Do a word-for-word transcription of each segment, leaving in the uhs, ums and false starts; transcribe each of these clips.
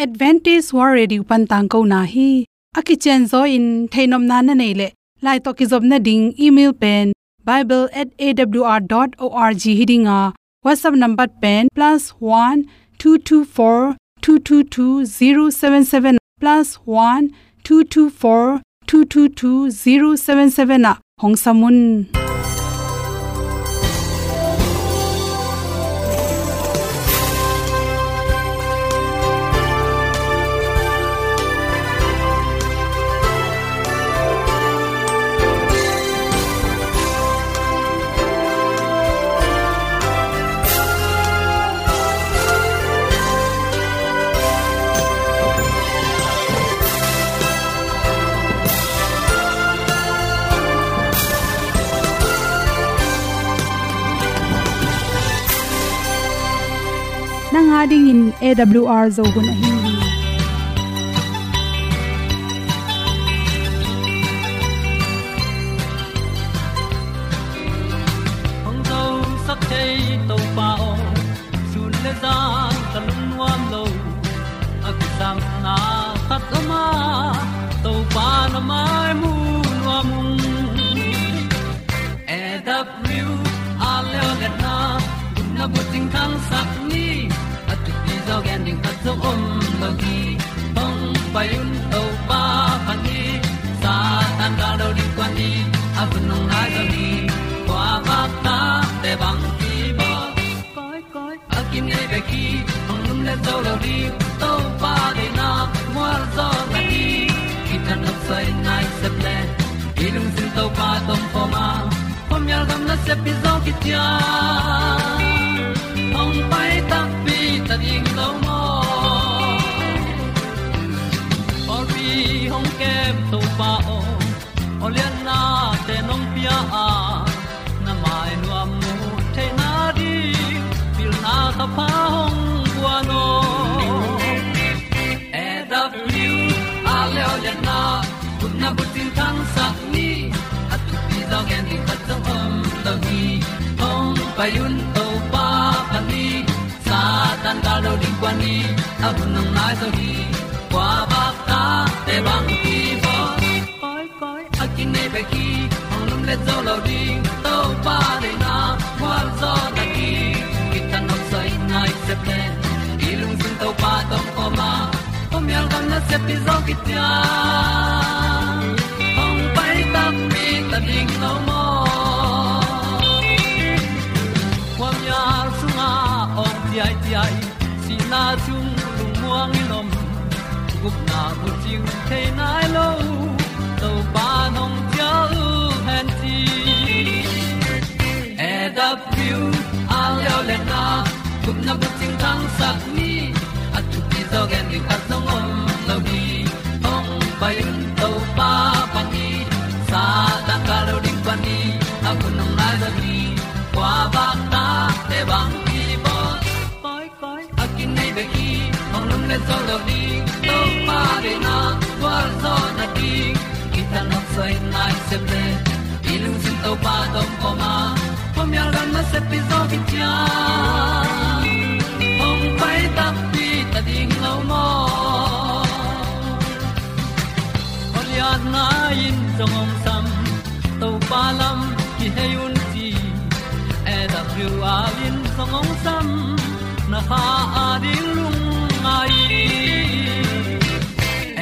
Adventist World Radio pan tangkona hi. A kicianzaw in theihnopna na neih leh, lai tawh kizopna ding email pen bible at A W R dot org hi ding a, WhatsApp number pen plus one two two four two two two zero seven seven, plus one two two four two two two zero seven seven ah hong sam un. Nang a dingin A W R Zo hun ahi hi. Hong zosak thei Topa aw, sun le zan ka lungnuam lo. A kisapna khat om a, Topa na mai mu nuam ung. A W R leo le na, gupna bucing thangsak ni. A thupi zaw gen ding khat zong om lo hi. Hong pai un Topa phat ni. Satan gal do ding kuan ni. A hun hong nai zo ni. Kua bak ta te bang ki bawl. Koi, koi, a kinei bek hi, hong lum le zo lo ding, Topa deihna mual zaw na hi. Kithat nop soi nai sep le, i lungsim Topa tawh om khawm a, khuamial gam nasep hi zaw kician. Hong pai takpi ta ding lo maw? Pawlpi hong kem Topa aw, awliatnate nong pia a, na mai nuam mu theihna ding, pilna thapha hong guan aw. A W R leo le na, gupna bucing thangsak ni. A thupi zaw gen ding khat zong om lo hi. Hong pai un Topa phat ni. Satan gal do ding kuan ni. A hun hong nai zo hi. Kua bak ta te bang ki bawl. Koi, koi, a kinei bek hi, hong lum le zo lo ding, Topa deihna mual zaw na hi. Kithat nop soi nai sep le, i lungsim Topa tawh om khawm a, khuamial gam nasep hi zaw kician. Hong pai takpi ta ding lo maw? Khuamial sungah awng ciaiciai, sihna sung lungmuang in om, gupna bucing thei nai lo, Topa nong cial hen ci. A W R leo le na, gupna bucing thangsak ni. A thupi zaw gen ding khat zong om lo hi. Hong pai un Topa phat ni. Satan gal do ding kuan ni. A hun hong nai zo hi. Kua bak ta te bang ki bawl. Koi, koi, a kinei bek hi, hong lum le zo lo ding, Topa deihna gual zaw na ding. Kithat nop soi nai sep le, i lungsim Topa tawh om khawm a, khuamial gam nasep hi zaw kician. Hong pai takpi ta ding lo maw? Awliatna in zong hong sam, Topa lam kihei un ci. A W R in zong hong sam, na kha a ding lungngai.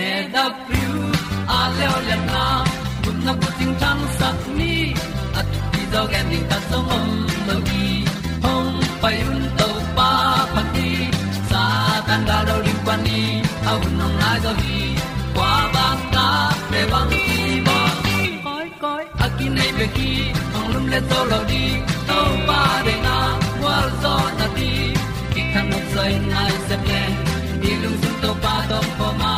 A W R leo le na, gupna bucing thangsak ni. A thupi zaw gen ding khat zong om lo hi. Hong pai un Topa phat ni. Satan gal do ding kuan ni. A hun hong nai zo hi. Kua bak ta te bang ki bawl. Koi, koi, a kinei bek hi, hong lum le zo lo ding, Topa deihna gual zaw na ding. Kithat nop soi nai sep le, i lungsim Topa tawh om khawm a,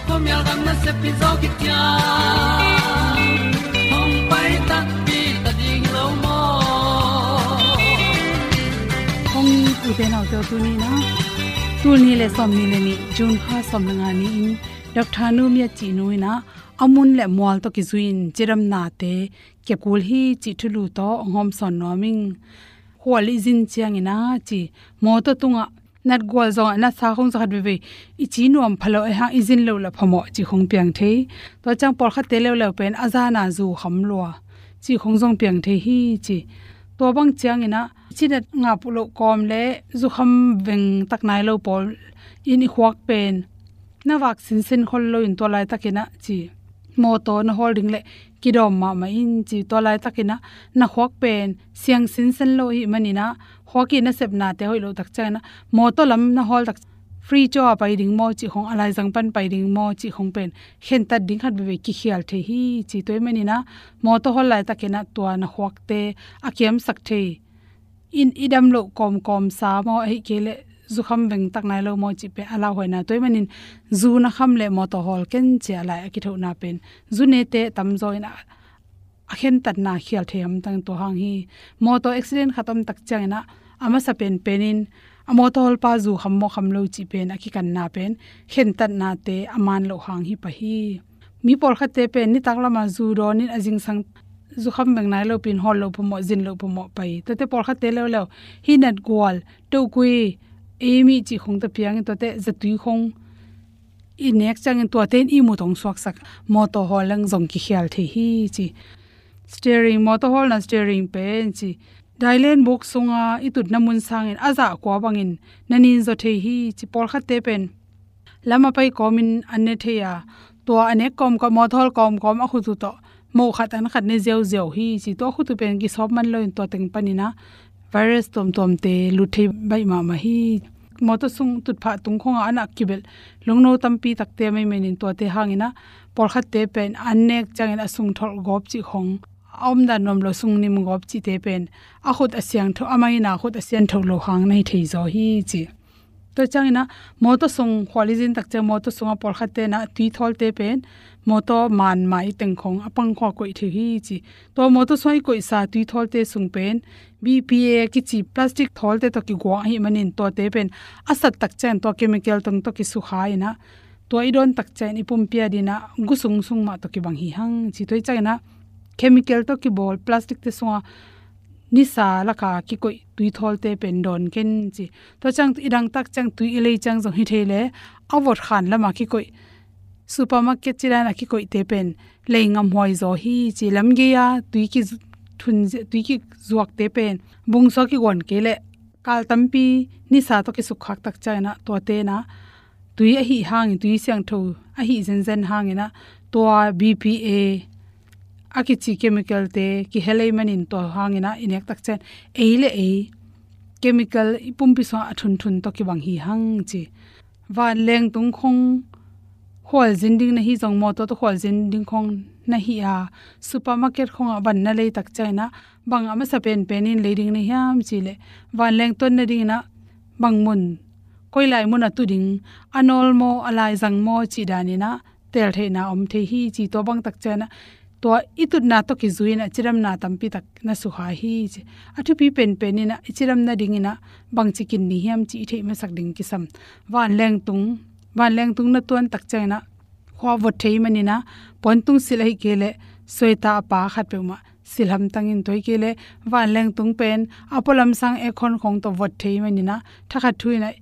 khuamial gam nasep hi zaw kician. Hong pai takpi ta ding lo maw? Kong ute naute aw, tuni na, tul nih le sawmnih le nih, June kha sawm le nga ni-in, Doctor Nu Mia Cih Nu in a, a mun le mual tawh kizui-in cidamnate kep kul hi cih thulu tawh hong hawmsawn nuam ing. Khual i zin ciangin a ci, mawtaw tungah natgual zongah natsa khong za khat veivei i ci nuam pha lo ahih hang i zin loh lah phamawh cih khong piang thei. Tua ciang pawlkhatte leuleu pen a zana zu kham lua cih khong zong piang thei hi ci. Tua bang ciangin ah i ci nat ngap loh kawm le zukham veng tak nai lo pawl in i khuak pen na vak sinsen khol loin tua laitakin ah ci, mawtaw na hawl ding le kidawm mahmah in ci, tua laitakin ah na khuak pen siang sinsen lo ahih manin ah khuak i nasepnate hoih loh tak ciangin ah mawtaw lam na hawl tak free chaw a pai ding maw cih khong, a laizang pan pai ding maw cih khong pen khentat ding khat veivei kikhial thei hi ci. Tua ahih manin ah mawtaw hawl laitakin ah tua na khuakte a kiamsak thei in i dam loh kawmkawm sa maw, ahih kei leh zukham veng tak nai lo maw cih pen a lauhuaina. Tua ahih manin zu na kham le mawtaw hawl ken ci a lai a kithohna pen zu nete tamzaw in a, a khentatna khial thei hamtang tua hang hi. Mawtaw accident khat om tak ciangin ah a masa penpen in a mawtaw hawlpa zu kham maw kham lo cih pen a kikanna pen khentatnate a man loh hang hi pah hi. Mi pawlkhatte pen nitak lamah zu dawn in a zingsang zukham veng nai lo pin hawl loh phamawh, zin loh phamawh pai. Tuate pawlkhatte leuleu hih natgual, tokui, ei mi cih khong ta piangin tuate zatui khong i nek ciangin tuate in i mut hong suaksak mawtaw hawl leng zong kikhial thei hi ci. Steering, mawtaw hawlna steering pen ci, dailen buk sunga i tutna mun sangin a zah kua bangin na ninzaw thei hi ci. Pawlkhatte pen lam a pai kawmin an ne thei a, tua a nek kawmkawm, mawtaw hawl kawmkawm a khut uh tawh moh khat an khat ne ziauziau hi ci. Tua khut uh pen kisawp man loin tua teng panin ah virus tuamtuamte lut thei baih mahmah hi. Mawtaw sung tutphah tung khongah a nak kibelh lungno tampi takte a mei menin tuate hangin ah pawlkhatte pen an nek ciangin a sung tholh gawp cih khong, a omdan nuam lo sung nim gawp cihte pen a khut a siangtho, a maina khut a siangtho lo hang na hi thei zaw hi ci. Tua ciangin ah mawtaw sung khual i zin tak ciang mawtaw sungah pawlkhatte in ah tui thawlte pen mawtaw man mai teng khong a pang khua koih thei hi ci. Tua mawtaw sungah i koihsa tui thawlte sung pen B P A kici plastic thawlte tawh kiguang ahih manin tuate pen a sat tak ciang tua chemical tawng tawh kisukha in ah tua i dawn tak ciang i pumpi adingin ah gu sung sung mah tawh kibang hi hang ci. Tua ahih ciangin ah chemical tawh kibawl plastic te sungah nisa laka kikoih tui thawlte pen dawn ken ci. Tua ciang i dang tak ciang tui i lei ciang zong hi thei le a vot khan lama kikoih, supermarket ci dan a kikoihte pen lei ngamhuai zaw hi ci. Lam gei a tui ki thun, tui kizuakte pen bungsuak kiguan kei leh kal tampi nisa tawh kisukkhak tak ciangin ah tuate in ah tui ahih hangin, tui siangtho ahih zenzen hangin ah tua B P A a kici chemical te kihel ahih manin tua hangin ah i nek tak ciang ei le ei chemical i pumpi sungah a thunthun tawh kibang hi hang ci. Vanleng tung khong khualzin ding na hi zong, mawtaw tawh khualzin ding khong na hi a, supermarket khongah van na lei tak ciangin ah bang a masa penpen in lei ding na hiam cih leh vanleng tuan nadingin ah bang mun, koi lai mun a tu ding, a nawl maw, a laizang maw cih danin ah teltheihna om thei hi ci. Tua bang tak ciangin ah tua i tutna tawh kizui in ah cidamna tampi tak na sukha hi ci. A thupi penpen in ah i cidam nadingin ah bangci kin ni hiam cih i theih masak ding kisam. Vanleng tung, vanleng tung na tuan tak ciangin ah khua vot thei manin ah puantung silh ahih kei leh sweater a pa khat peuhmah silh hamtang in, tua ahih kei leh vanleng tung pen a pualam sang aircon khong tawh vot thei manin ah thakhat thu in ah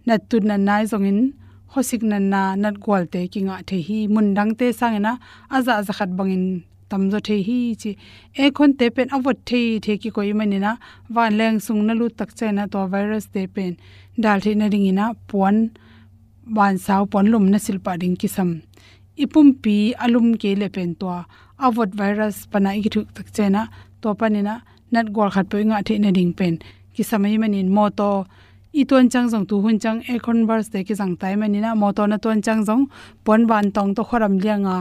nattut natna ahi zongin khuasik natna, natgualte kingah thei hi. Mun dangte sangin ah a zah za khat bangin tamzaw thei hi ci. Aircon te pen a vot thei thei kikoih ahih manin ah vanleng sung na lut tak ciangin ah tua virus te pen dal theih nadingin ah puan, vansau puan lum na silh pah ding kisam. I pumpi a lum kei leh pen tua a vot virus pan ah i kithuh tak ciangin ah tua panin ah natgual khat peuh i ngah theih nading pen kisam ahih manin mawtaw i tuan ciang zong, tuhun ciang aircon burst te kizang ta ahih manin ah mawtaw na tuan ciang zong puan vantawng tawh khuadam lianga,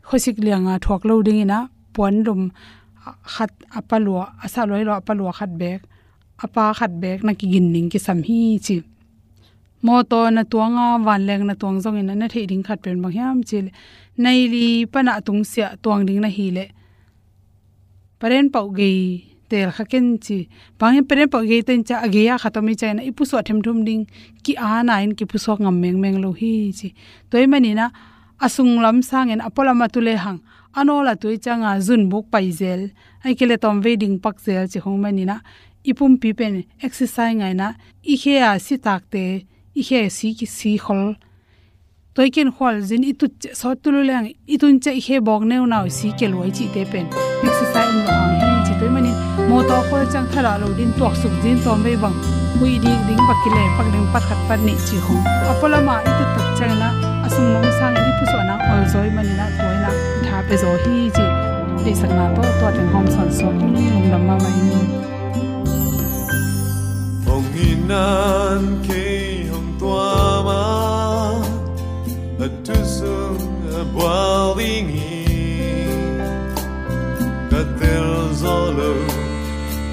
khuasik lianga thuak lo dingin ah puan lum khat a pa lua, a sah lua hi lo a pa lua khat beek, a pa khat beek na kigin ding kisam hi ci. Mawtaw na tuanga vanleng na tuang zongin ah na theih ding khat pen bang hiam cih leh nai li pan ah tungsiah tuang ding na hi leh paren pauh gei tel kha ken ci. Bang hiam, paren pauh gei ten ciah a gei a khat om i ciangin ah i pusuah themthum ding ki-ana in kipusuak ngam mengmeng lo hi ci. Tua ahih manin ah a sunglam sangin a pualam a tu lehang a nawl a tu i cianga zunbuk pai zel, ahih kei leh tawmvei ding pak zel ci khong manin ah i pumpi pen exercise ngaina, i khe a si takte, i khe si, si khol. Tua i ken khual zin i tut ciah sawt tul uh leng, i tun ciah i khe bawk neunau i si kia luai cihte pen exercise um lo hang hi ci. Tua ahih manin mawtaw khual ciang thadah lo din tuaksuk zin tawm vei bang, huih dik ding bak kileh pak ding, pat khat pat nih ci khong. A pualam ah i tut tak ciangin ah a sung lam sangin i pusuahna ol zaw ahih manin ah tua in ah i tha pia zaw hi ci. Deihsakna tawh tua teng hawm sawn suak ing, lungdam mahmah ing. Hong itna in kei hong tuam a, a thu sung a bual ding hi. Ka tel zaw lo,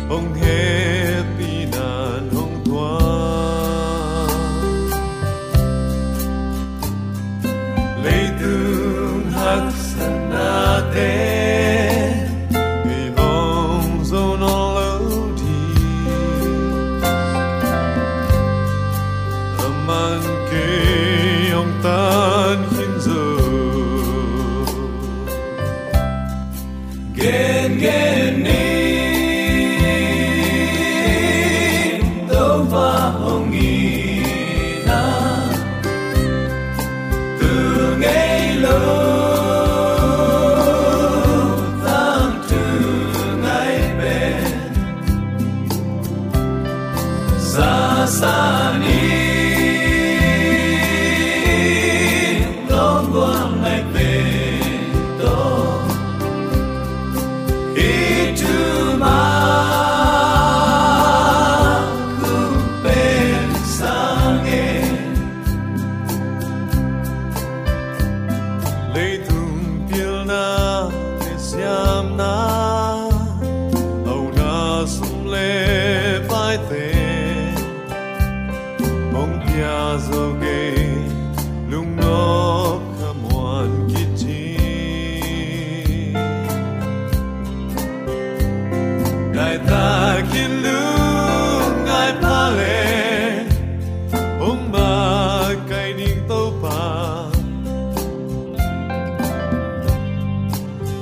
hong hehpihna in hong tuam. Leitung haksatnate kei hong zo nawn lo ding, aman kei hong tan khin zo. Gengen ni, Topa hong itna, tu ngei lo tangthu ngai pen, sasa ni, lawm gual ngai pen tawh, i thumang hong pen sang e. Leitung pilna le siamna, auna sum le paite, hong pia zo kei, lungnop khamuan khit hi. Ngai takin lungngai pha le, hong makaih ning Topa,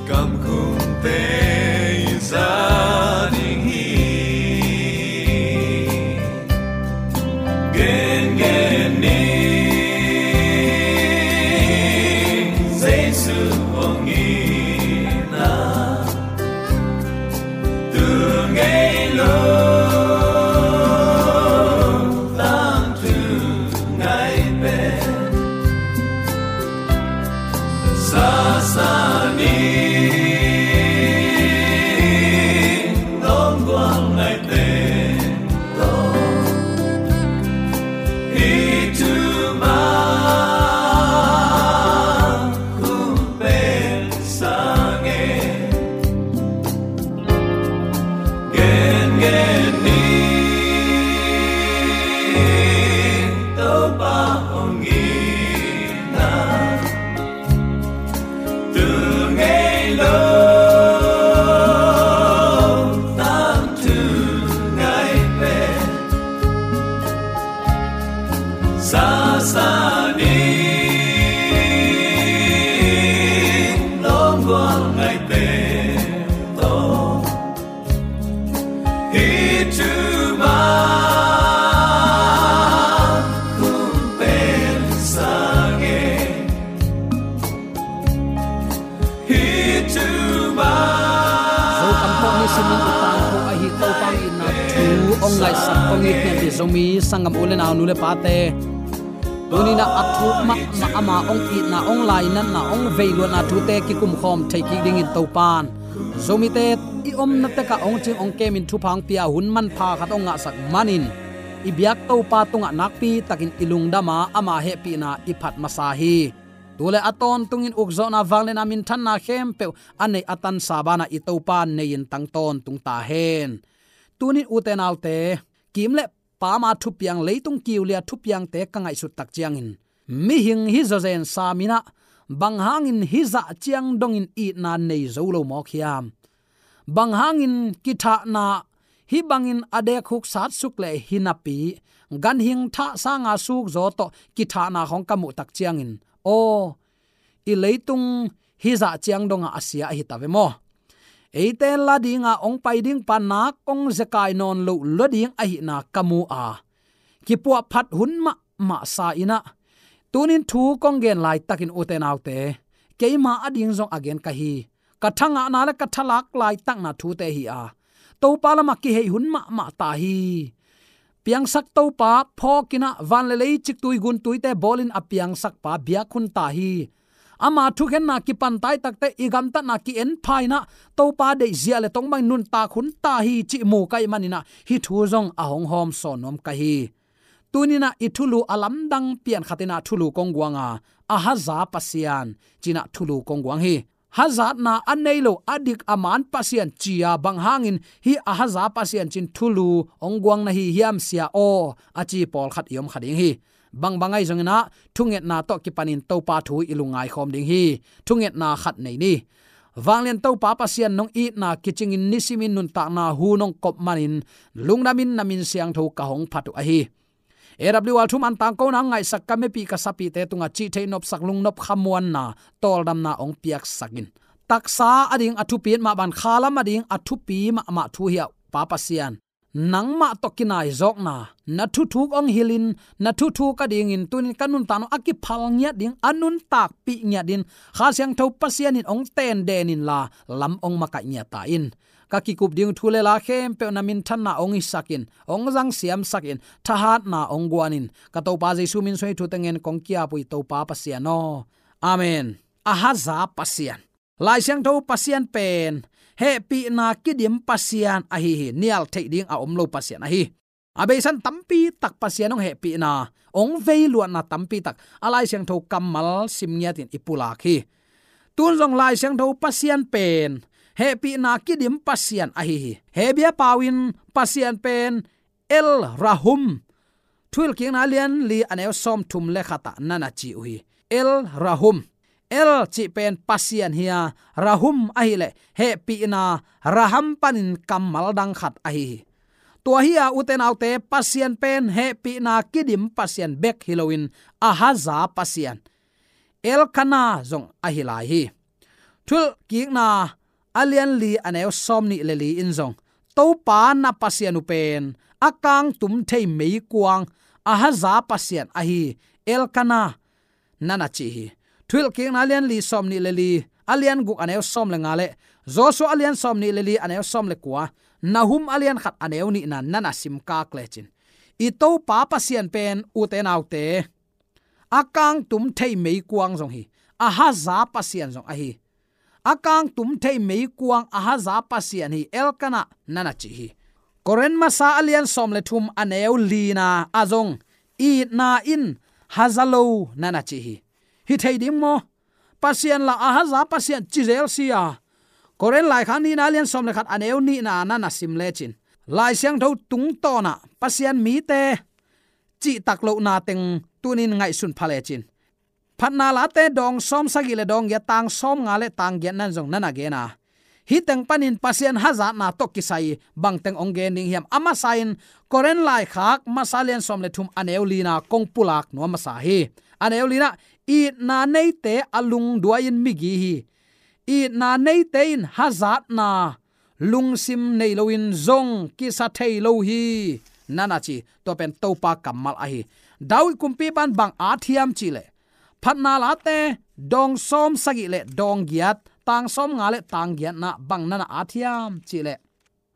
kamkhumte i za ding hi. Gengen ni, Jesu hong itna, tu ngei lo tangthu ngai pen, sasa ni, lawm gual ngai pen tawh, i thumang hong pen sang e. Gengen ni, Topa hong itna, tu ngei lo tangthu ngai pen, sasa ni, lawm gual ngai pen tawh, i thumang hong pen sang e. Hih thu mah. Zokam tawh nisimin i tangko ahi Topa hong itna thu hong ngaihsak hong it ngiat hi Zomi sanggam u le nau, nu le pate. Tuni-in ah a thuk mahmah ama hong itna, hong lainatna, hong veiluatna thute kikumkhawm thei kik dingin Topa'n Zomite i omna tekah hong cing hong kemin thupha hong pia hun manpha khat hong ngahsak manin i biak Topa tungah nakpi takin i lungdam a, ama hehpihna i phat masa hi. Tu le a tawntungin ukzawhna, vangliatna, minthanna khempeuh a neih a tansa banah i Topa nei-in tang tawntung ta hen. Tuni-in ute naute, kim le pam a thupiang, leitung kiulia thupiangte ka ngaihsut tak ciangin, mihing hi zawzen sam in ah, bang hangin hih zah ciang dongin itna nei zo lo mawk hiam? Bang hangin kithahna hih bangin a dek huksat suk leh hi napi, ganhing thah sanga sukzaw tawh kithahna khawng ka muh tak ciangin, aw, i leitung hih zah ciang dongah a sia ahi ta ve maw? eite la dinga hong pai ding pa nak hong zekai nawn loh lua ding ahihna ka mu a, kipuahphat hun mahmah sa in ah, tunin thu kong gen laitakin ute naute, keima ading zong a gen ka hi. Ka thangahna le ka thalak laitakna thute hi a, Topa lamah kihei hun mahmah ta hi. Piangsak Topa phawk in ah, van le lei, ciktui guntuite bawlin a piangsakpa biak hun ta hi. Ama thukhenna kipan taitakte i gamtatna ki-en pha in ah, Topa deihzia le tong bangin nuntak hun ta hi cih mu ka hih manin ah, hih thu zong a hong hawm sawn nuam ka hi. Tunin ah i thulu a lamdang pian khat in ah thulu kong guang a, Ahaza Pasian ci-in ah thulu kong guang hi. Hazatna a nei lo, a dik a man pasian ci a, bang hangin hih Ahaza Pasian ci-in thulu hong guang na hi hiam sia aw, a ci pawlkhat i om kha ding hi. Bangbang ahi zongin ah, thungetna tawh kipanin Topa thu i lungngai khawm ding hi. Thungetna khat nei ni. Vanglian Topa Pasian, nong itna kicingin nisimin nuntakna hu nong kop manin, lungdamin na min siangtho ka hong phat uh ahi. A W R thu man tangkona ngaihsak ka mepih ka sapihte tungah cihtheih nopsak lungnop khamuanna, tawldamna hong piaksak in. Taksa ading a thupi mah bang, khalam ading a thupi mahmah thu hi a, Pa Pasian, nangmah tawh kinaizawkna, na thuthuk hong hilhin, na thuthuk adingin tunin ka nuntakna a kiphal ngiat ding, a nuntakpih ngiat ding, Kha Siangtho Pasian in hong tenden inla, lam hong makaih ngiat ta in. Ka kikup ding thu le la khempeuh na minthanna hong hisak in, hong zang siamsak in, thahatna hong guan in. Ka Topa Jesu min suang hih thu teng ngen kong ki-ap uh hi, Topa Pasian aw. Amen. Ahaza Pasian. Lai Siangtho Pasian pen hehpihna kidim Pasian ahi hi. Nial theih ding a om lo Pasian ahi. A beisa in tampi tak Pasian hong hehpihna, hong veiluatna tampi tak a Lai Siangtho kammal sim ngiatin i pulak hi. Tun zong Lai Siangtho Pasian pen hehpihna kidim Pasian ahi hi. Hebru pau in Pasian pen El Rahum, Thuhilhkikna a lian li a neu sawmthum le khat ah na na ci uh hi. El Rahum. El cih pen Pasian hi a, Rahum ahih leh hehpihna, Raham panin kammal dang khat ahi hi. Tua hi a, ute naute, Pasian pen hehpihna kidim Pasian bek hi loin, Ahaza Pasian, Elkana zong ahi lai hi. Thuhilhkikna a lian li a neu sawmnih le li in zong, Topa na Pasian uh pen a kangtum thei meikuang, Ahaza Pasian ahi, Elkana, na na ci hi. Thuhilhkikna a lian li sawmnih le li, a lian guk a neu sawm le nga le, Joshua a lian sawmnih le li a neu sawm le kua, Nahum a lian khat a neu nihna na na simkak lecin, i Topa Pasian pen, ute naute, a kangtum thei meikuang zong hi, Ahaza Pasian zong ahi. A kangtum thei meikuang Ahaza Pasian hi, Elkana, na na ci hi. Korin masa a lian sawm le thum a neu lina ah zong, itna in haza lo, na na ci hi. Hi thei ding maw? Pasian la Ahaza Pasian ci zel si a. Korin laikhak nihna a lian sawm le khat a neu nihna na na sim lecin, Lai Siangtho tungtawn ah Pasian mite cihtak lohna teng tunin ngaihsun pha lecin. Phatna Late dawng sawm sagih le dawng giat, tang sawm nga le tang giat nan zong na na gen a, hih teng panin Pasian hazatna tawh kisai bangteng hong gen ding hiam? A masa in Korin laikhak masa lian sawm le thum a neu lina kong pulak nuam masa hi. A neu lina, itna neite a lungduai in migi hi. Itna neite in hazatna lungsim nei loin zong kisa thei lo hi, na na ci. Tua pen Topa kammal ahi. David kumpipa'n bang at hiam cih leh, Phatna Late dawng sawm sagih le dawng giat, tang sawm nga le tang giatna bang na na at hiam cih leh,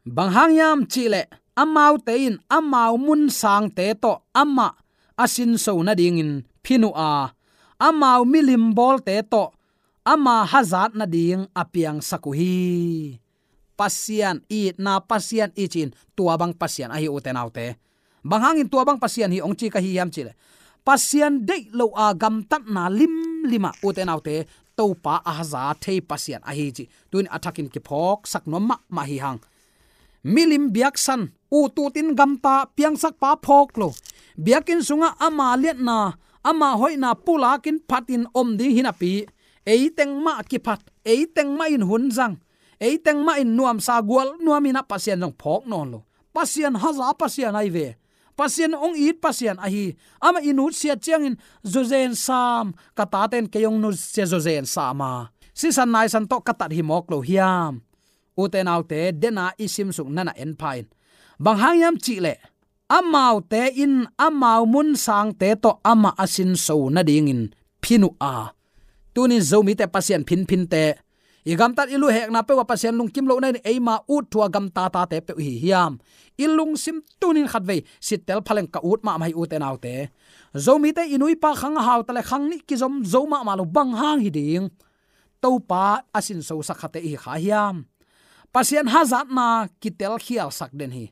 bang hang hiam cih leh, amaute in amau mun sangte tawh amah a sinso nadingin phin uh a, amau milim bawlte tawh ama hazat nading a piangsak uh hi. Pasian itna, Pasian i cih in tua bang Pasian ahi, ute naute. Bang hangin tua bang Pasian hi hong ci ka hi hiam cih leh, Pasian deih lo a gamtatna limlim ah, ute naute, Topa a haza thei Pasian ahi cih tunin a thakin kiphawksak nuam mahmah hi hang. Milim biaksan, ut utin gamta, piangsakpa phawk lo, biakinn sungah ama liatna, ama hoihna pulakin phatin om ding hi napi, ei teng mah kiphat, ei teng mah in hun zang, ei teng mah in nuamsa gual nuam in ah Pasian zong phawk nawn lo. Pasian haza Pasian ahi ve. Pasian hong it Pasian ahi. Amah i nutsiat ciangin zawzen sam, ka tate'n kei hong nutsia zawzen sam a, sisan naisan tawh ka tat hi mawk lo hiam? ute naute, dena i simsuk nana en pha in. Bang hang hiam cihleh, amaute in amau munsangte tawh amah a sinso nadingin phin uh a. Tunin Zomite Pasian phinphinte, i gamtat i luhekna peuh a Pasian lungkim lohna in eima ut thu a gamtatate peuh hi hiam? I lungsim tunin khatvei sittel phaleng ka ut mahmah hi, ute naute. Zomite i nuipa khang a hauta le khang nih kizom zo mahmah lo, bang hang hi ding? Topa a sinsosak khate i hi kha hiam? Pasian hazatna kitelkhialsak den hi.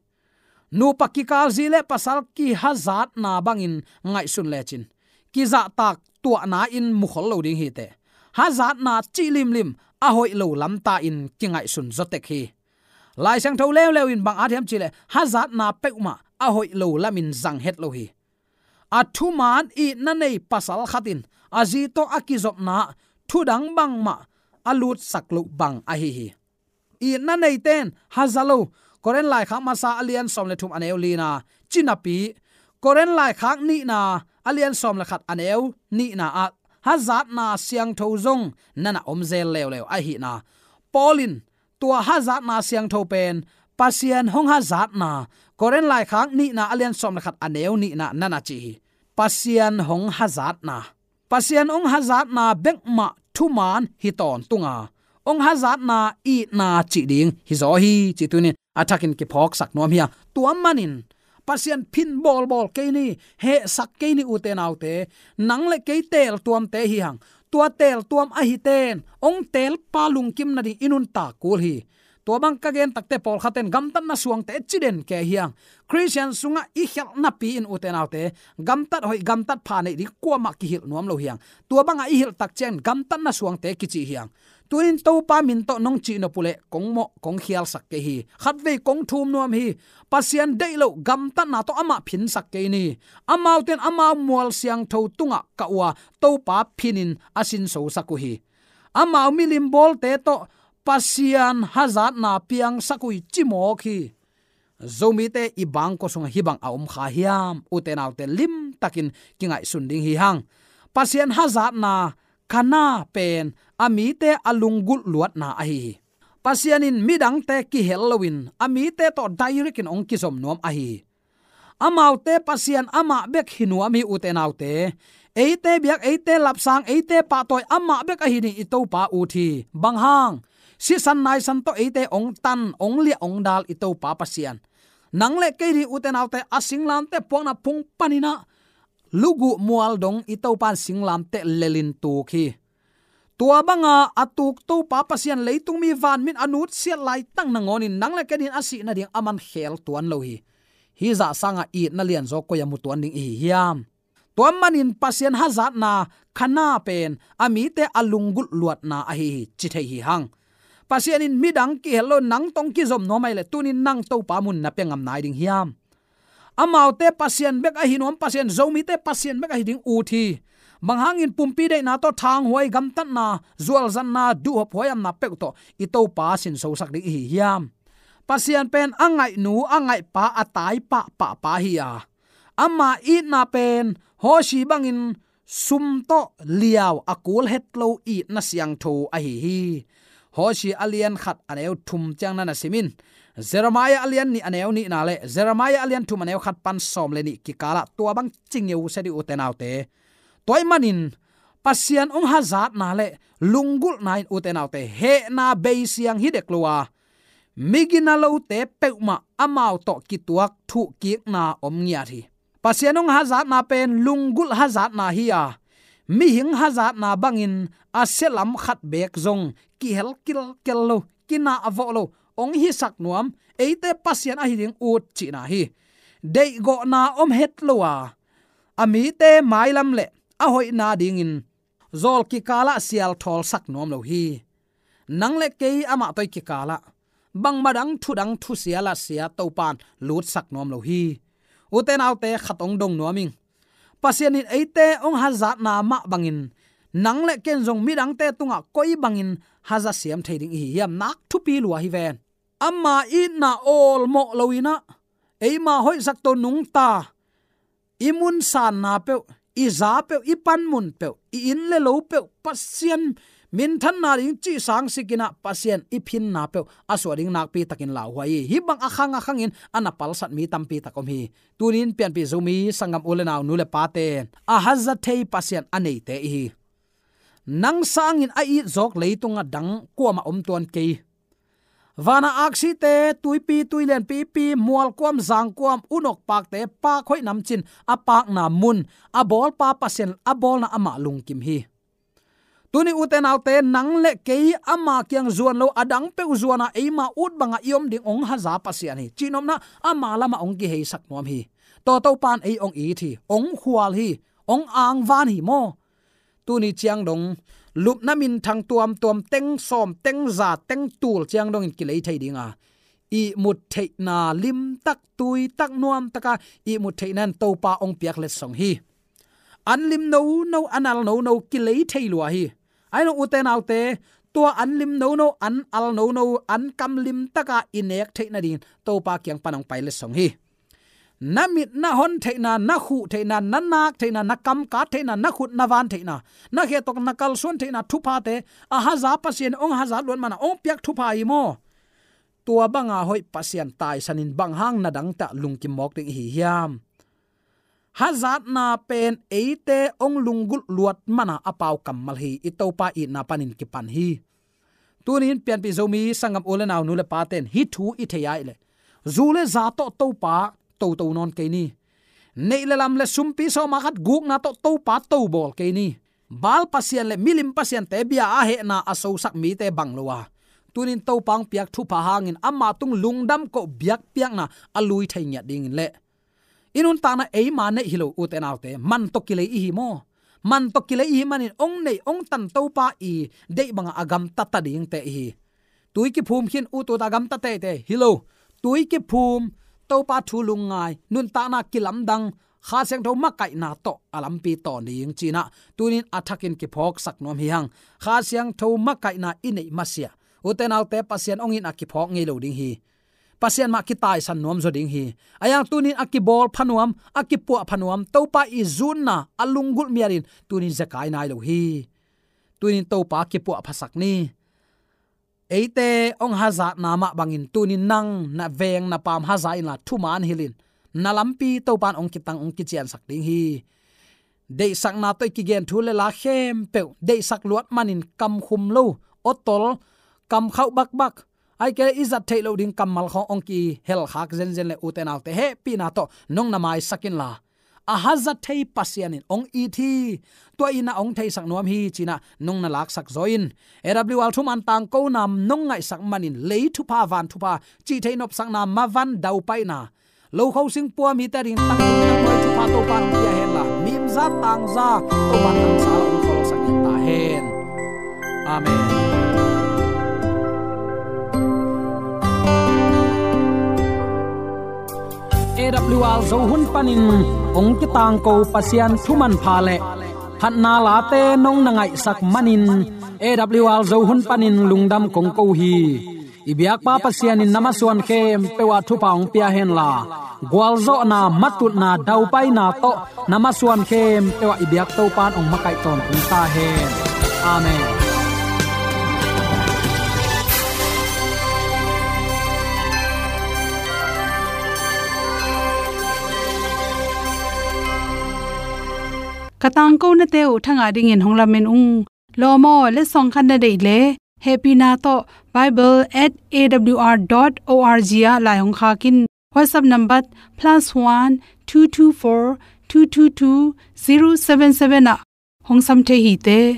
Nupa kikal zi le pasal kihazatna bangin ngaihsun lecin, kizahtak tuahna in mukhol lo ding hiteh. Hazatna cih limlim a hoih lo lamta in kingaihsun zawtek hi. Lai Siangtho leuleu in bang at hiam cihleh, hazatna peuhmah a hoih lo lamin zang het lo hi. A thuman itna nei pasal khat in a zi tawh a kizopna thudang bangmah a lutsak loh bang ahi hi. Itna neite in haza lo, Korin laikhak masa a lian sawm le thum a neu lina, ci napi, Korin laikhak nihna a lian sawm le khat a neu nihna ah hazatna siangtho zong nana om zel leuleu ahihna. Paul in tua hazatna siangtho pen Pasian hong hazatna, Korin laikhak nihna a lian sawm le khat a neu nihna nana ci hi. Pasian hong hazatna, Pasian hong hazatna bekmah thuman hi tawntunga, hong hazatna itna cih ding hi zaw hi, ci tunin a thakin kiphawksak nuam hi a. Tua manin Pasian phin bawlbawl kei ni, hehsak kei ni, ute naute. Nang le kei teeltuamte hi hang. Tua teeltuam ahiten hong teelpa lungkim nading i nuntak kul hi. Tua bang ka gen takte pawlkhaten gamtatna suangte ci den kei hi hang. Khristian sungah i khialh napi in, ute naute, gamtat hoih gamtat pha neih ding kuamah kihilh nuam lo hi hang. Tua bangah i hilh tak ciangin gamtatna suangte kici hi hang. Tunin Topa min tawh nong cihnop uhleh kong mawh kong khialsak kei hi. Khatvei kong thum nuam hi. Pasian deih loh gamtatna tawh amah phinsak kei ni. Amaute in amau mual siangtho tungah kah uh a, Topa phinin a sinsosak uh hi. Amau milim bawlte tawh Pasian hazatna piangsak uh hi, ci mawk hi. Zomite i bangkua sungah hih bang a om kha hiam? Ute naute, limtakin kingaihsun ding hi hang. Pasian hazatna, Kana pen a mite a lunggulh luatna ahi hi. Pasian in midangte kihel loin a mite tawh direct in hong kizom nuam ahi hi. Amaute Pasian amah bek hi nuam hi, ute naute. Eite biak, eite lapsang, eite pahtawi amah bek ahi ding i Topa ut hi. Bang hang? Sisan naisan tawh eite hong tan, hong liah, hong dal i Topa Pasian. Nang le kei ding, ute naute, a singlamteh puakna phung panin ah luguh mual dong i Topa in singlamteh lelin tuk hi. Tua banga a tuk Topa Pasian leitung mi vanmin a nutsiat laitak nangawnin nang le kei ding a sih nading aman khel tuan lo hi. Hih zah sangah itna lianzaw koi-ah mu tuan ding i hi hiam? Tua manin Pasian hazatna, Kana pen a mite a lunggulh luatna ahi hi, ci thei hi hang. Pasian in midang kihel lo, nang tawh hong kizom nuam ahih leh tunin nang Topa mun na pia ngam nai ding hiam? Amaute Pasian bek ahi nuam, Pasian Zomite Pasian bek ahi ding ut hi. Bang hangin? Pumpi deihna tawh thanghuai, gamtatna, zualzanna, duhhop huaihamna peuh tawh i Topa sinsosak ding i hi hiam? Pasian pen a ngaihnu, a ngaihpa, a tai pahpah pa hi a, ama itna pen Hosea bangin sum tawh liau, a kul het lo itna siangtho ahi hi. Hosea a lian khat a neu thum ciang nana sim in, Jeremiah a lian nih a neu nihna le Jeremiah a lian thum a neu khat pan sawm le nih kikalah tua bang ci ngeu se dih, ute naute. Tua ahih manin Pasian hong hazatna le lunggulhna in, ute naute, hehna beisiang hi dek lo a, migina lote peuhmah amau tawh kituak thuhkikna om ngiat hi. Pasian hong hazatna pen lunggulh hazatna hi a, mihing hazatna bangin a sia lam khat beek zong kihel kilkel lo, kinah vawh lo, hong hisak nuam, eite Pasian ahi ding ut cihna hi. Deihgawhna om het lo a, a mite mailam le a hoihna dingin zawl kikalah sialthawlsak nuam lo hi. Nang le kei amah tawh i kikalah bangmah dang thu dang thusia lasia Topa in lutsak nuam lo hi. Ute naute, khat hong dong nuam ing. Pasian in eite hong hazatna mah bangin nang le ken zong midangte tungah koi bangin haza siam thei ding i hi hiam? Nak thupi lua hi ven. Ama itna awlmawh lo in ah, eima hoihsak to nungta, i mun sanna peuh, i za peuh, i panmun peuh, i inn le lo peuh Pasian minthanna ding cih sang sikin ah Pasian i phinna peuh a suah ding nakpi takin lauhuai hi. Hih bang a khang a khangin a na palsat mi tampi tak om hi. Tunin pianpih Zomi sanggam u le nau, nu le pate, a haza thei Pasian a neite i hi. Nang sangin a it zawk leitungah dang kuamah om tuan kei. Vana aksite, tuipi, tuilian pipi, mualkuam, zangkuam, unok pakte, pak hoih namcin a pakna mun, a bawlpa Pasian a bawlna amah lungkim hi. Tuni ute naute, nang le kei ama kiang zuan lo, a dang peuh zuana eima ut banga i om ding hong haza Pasian hi. Cihnopna ama lamah hong kiheisak nuam hi. Tua Topan ei hong it hi, hong khual hi, hong angvan hi maw? Tuni ciang dong lupna minthang tuamtuam, teng sawm, teng za, teng tul ciang dongin kilei thei dinga, ihmut theihna limtak, tuitak, nuamtaka ihmut theihna in Topa hong piak letsong hi. An lim nono, an al nono kilei thei lua hi. Ahi zong ute naute, tua an lim nono, an al nono, an kam limtaka i nek theih nadingin Topa kiang pan hong pai letsong hi. Na mit na hon theihna, na khuh theihna, na nak theihna, na kam kat theihna, na khut na van theihna, na khe tawh na kalsuan theihna thuphate a haza Pasian hong hazat luat mana hong piak thupha hi maw? Tua banga hoih Pasian taisanin bang hang na dangte ah lungkim mawk ding i hi hiam? Hazatna pen eite hong lunggulh luat mana a pau kammal hi. I Topa itna panin kipan hi. Tunin pianpih Zomi sanggam u le nau, nu le pate in hih thu i thei ahih leh, zu le za tawh Topa toto nawn kei ni. Neih le lam le sumpi sawma khat gukna tawh Topa tobawl kei ni. Baal pasian le milim pasiante bia a hehna a sosak mite bang lo a, tunin Topa hong piak thupha hangin ama tung lungdam koh biakpiakna a lui thei ngiat dingin le i nuntakna eima neih hi lo, ute naute, man tawh kilei i hi maw? Man tawh kilei i hi manin hong neih hong tan Topa i deih banga a gamta ta dingte i hi. Tui kiphum khin, u tuta gamta teitei hi lo. Tui kiphum, Topa thu lungngai, nuntakna kilamdang, Kha Siangtho makaihna tawh a lampi tawn ding cinah tunin a thakin kiphawksak nuam hi hang. Kha Siangtho makaihna i neih masiah, ute naute, Pasian hong itna kiphawk ngei lo ding hi. Pasian mah kitaisan nuam zaw ding hi. Ahi hang tunin a kibawl pha nuam, a kipuah pha nuam, Topa i zunna a lunggulh mialin tunin zekai nai lo hi. Tunin Topa kipuah phasak ni. Eite hong hazatna mah bangin tunin nang na veng na paam haza inla thuman hilhin, na lampi Topan hong kitang, hong kiciansak ding hi. Deihsakna tawh i kigen thu le la khempeuh deihsak luat manin kam khum lo, awtol, kam khauh bakbak, ahih kei leh i zat theih loh ding kammal khawng hong kihel khak zenzen le, ute naute, hehpihna tawh nong na maisak inla, a haza thei Pasian in hong it hi. Tua itna hong theisak nuam hi cinah nong na laksak zaw in. A W R thuman tangkona nong ngaihsak manin lei thupha, van thupha, cih theih nopsakna, mavan, daupaina, lo kho sing pua mite adingin tangtung tangnuai thupha Topan hong pia henla, mimza tangza Topan haksatna hong khawlsak ta hen. Amen. A W R Zo hun panin hong kitangko Pasian thuman pha le phatna late nong na ngaihsak manin A W R Zo hun panin lungdam kong ko hi. I biakpa Pasian in na masuan khempeuh ah thupha hong pia henla, gualzawhna, matutna, daupaina tawh na masuan khempeuh ah i biak Topan hong makaih tawntung ta hen. Amen. Ka tangkonate uh thangah dingin hong lamen ung. Lawm aw, letsong khat na deih leh, hehpihna tawh bible at A W R dot O R G ah lai hong khak in. WhatsApp number plus one two two four two two two zero seven seven ah hong sam thei hi te.